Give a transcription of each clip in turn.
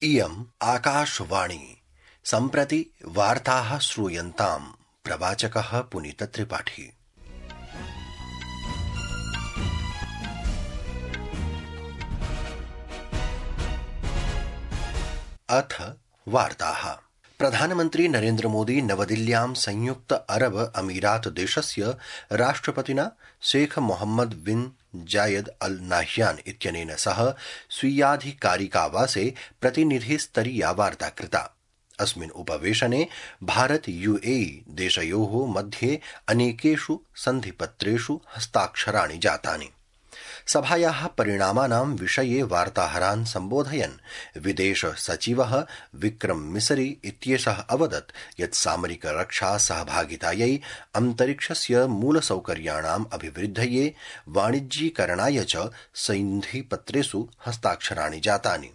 इयम् आकाशवाणी। सम्प्रति वार्ताः श्रूयन्ताम्। प्रवाचकः पुनीतत्रिपाठी। अथ वार्ताः। प्रधानमन्त्री नरेन्द्र मोदी नवदिल्ल्यां संयुक्त अरब अमीरात देशस्य राष्ट्रपतिना शेख मोहम्मद बिन जायद अल नाह्यान इत्यनेन सह स्वीयाधिकारिकावासे प्रतिनिधिस्तरीया वार्ता कृता। अस्मिन् उपवेशने भारत यूएई देशयोः मध्ये अनेकेषु सन्धिपत्रेषु हस्ताक्षराणि जातानि। सभायाः परिणामानां विषये वार्ताहरान् सम्बोधयन् विदेश सचिवः विक्रम मिसरी इत्येषः अवदत् यत् सामरिक रक्षा सहभागितायै अन्तरिक्षस्य मूलसौकर्याणाम् अभिवृद्धये वाणिज्यीकरणाय च सन्धिपत्रेषु हस्ताक्षराणि जातानि।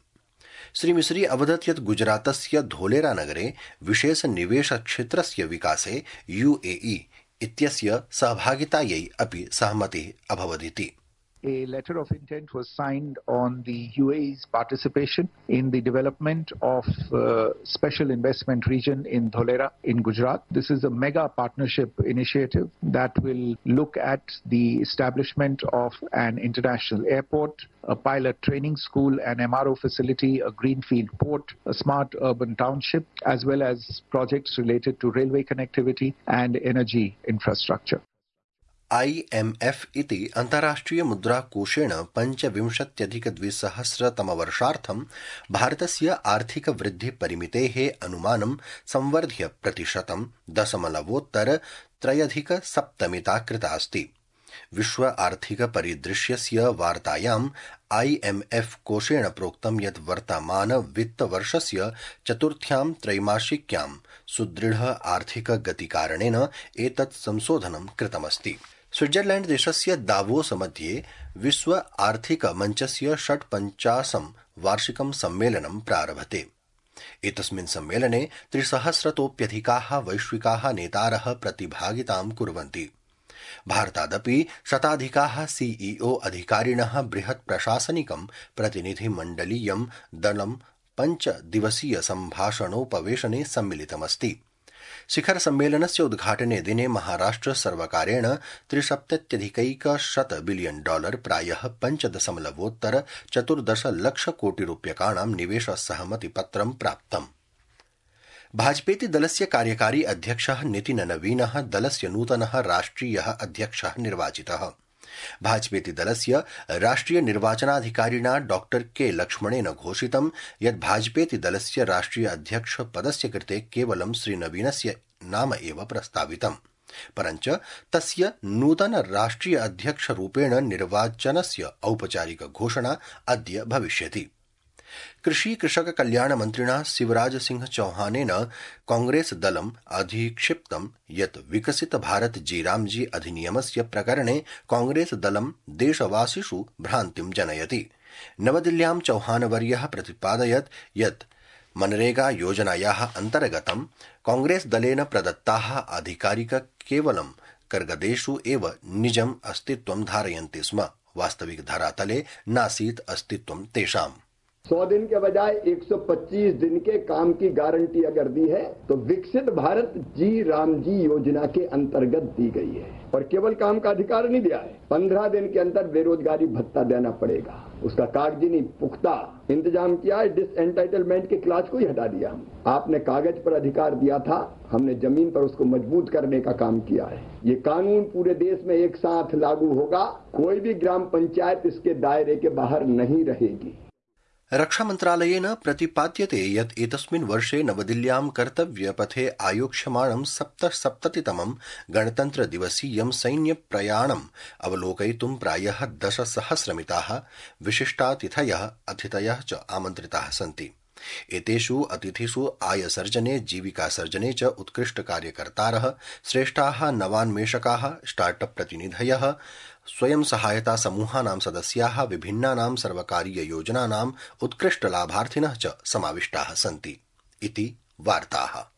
श्री मिसरी अवदत् यत् गुजरातस्य धोलेरा नगरे विशेष निवेश क्षेत्रस्य विकासे यूएई इत्यस्य सहभागितायै अपि सहमतिः अभवदिति। A letter of intent was signed on the UAE's participation in the development of special investment region in Dholera in Gujarat. This is a mega partnership initiative that will look at the establishment of an international airport, a pilot training school, an MRO facility, a greenfield port, a smart urban township, as well as projects related to railway connectivity and energy infrastructure. IMF इति अन्ताराष्ट्रिय मुद्राकोषेण 25,200 तमवर्षार्थं भारतस्य आर्थिक वृद्धि परिमितेः अनुमानं संवर्ध्य 0.3% कृता अस्ति। विश्व आर्थिक परिदृश्यस्य वार्तायां IMF कोषेण प्रोक्तं यत् वर्तमान वित्तवर्षस्य चतुर्थ्यां त्रैमासिक्यां सुदृढ आर्थिक गतिकारणेन एतत् संशोधनं कृतमस्ति। स्विट्जरलैंड देशस्य दावोस मध्ये विश्व आर्थिक मञ्चस्य 56 वार्षिकं सम्मेलनं प्रारभते। एतस्मिन् सम्मेलने 300तोऽप्यधिकाः वैश्विकाः नेतारः प्रतिभागितां कुर्वन्ति। भारतादपि शताधिकाः सीईओ अधिकारिणः बृहत् प्रशासनिकं प्रतिनिधिमण्डलीयं दलं 5 दिवसीय सम्भाषणोपवेशने सम्मिलितमस्ति। शिखर सम्मेलनस्य उद्घाटने दिने महाराष्ट्र सर्वकारेण $73,100 बिलियन प्रायः 5.14 लक्षकोटिरूप्यकाणां निवेश सहमतिपत्रं प्राप्तम्। भाजपेति दलस्य कार्यकारी अध्यक्षः नितिन नवीनः दलस्य नूतनः राष्ट्रियः अध्यक्षः निर्वाचितः। भाजपेति दलस्य राष्ट्रिय निर्वाचनाधिकारिणा डॉक्टर के लक्ष्मणेन घोषितं यत् भाजपेति दलस्य राष्ट्रिय अध्यक्ष पदस्य कृते केवलं श्रीनवीनस्य नाम एव प्रस्तावितम्, परञ्च तस्य नूतन राष्ट्रिय अध्यक्षरूपेण निर्वाचनस्य औपचारिक घोषणा अद्य भविष्यति। कृषि कृषक कल्याण मन्त्रिणा शिवराज सिंह चौहानेन कांग्रेस दलम् अधिक्षिप्तं यत् विकसित भारत जीरामजी अधिनियमस्य प्रकरणे कांग्रेस दलं देशवासिषु भ्रान्तिं जनयति। नवदिल्ल्यां चौहानवर्यः प्रतिपादयत् यत् मनरेगा योजनायाः अन्तर्गतं कांग्रेस दलेन प्रदत्ताः आधिकारिक केवलं कर्गदेषु एव निजम् अस्तित्वं धारयन्ति स्म, वास्तविक धरातले नासीत् अस्तित्वं तेषाम्। 100 दिन के बजाय 125 दिन के काम की गारंटी अगर दी है तो विकसित भारत जी राम जी योजना के अंतर्गत दी गई है और केवल काम का अधिकार नहीं दिया है। 15 दिन के अंदर बेरोजगारी भत्ता देना पड़ेगा, उसका कागजी नहीं पुख्ता इंतजाम किया है। डिसएंटाइटलमेंट के क्लास को ही हटा दिया। आपने कागज पर अधिकार दिया था, हमने जमीन पर उसको मजबूत करने का काम किया है। ये कानून पूरे देश में एक साथ लागू होगा, कोई भी ग्राम पंचायत इसके दायरे के बाहर नहीं रहेगी। रक्षामन्त्रालयेन प्रतिपाद्यते यत् एतस्मिन् वर्षे नवदिल्ल्यां कर्तव्यपथे आयोक्ष्यमाणं 77तमं गणतन्त्रदिवसीयं सैन्यप्रयाणम् अवलोकयितुं प्रायः 10,000मिताः विशिष्टातिथयः अतिथयः च आमन्त्रिताः सन्ति। एतेषु अतिथिषु आयसर्जने जीविकासर्जने च उत्कृष्टकार्यकर्तारः, श्रेष्ठाः नवान्वेषकाः, स्टार्टअप प्रतिनिधयः, स्वयं सहायता समूहानां सदस्याः, विभिन्नानां सर्वकारीययोजनानाम् उत्कृष्टलाभार्थिनः च समाविष्टाः सन्ति इति वार्ताः।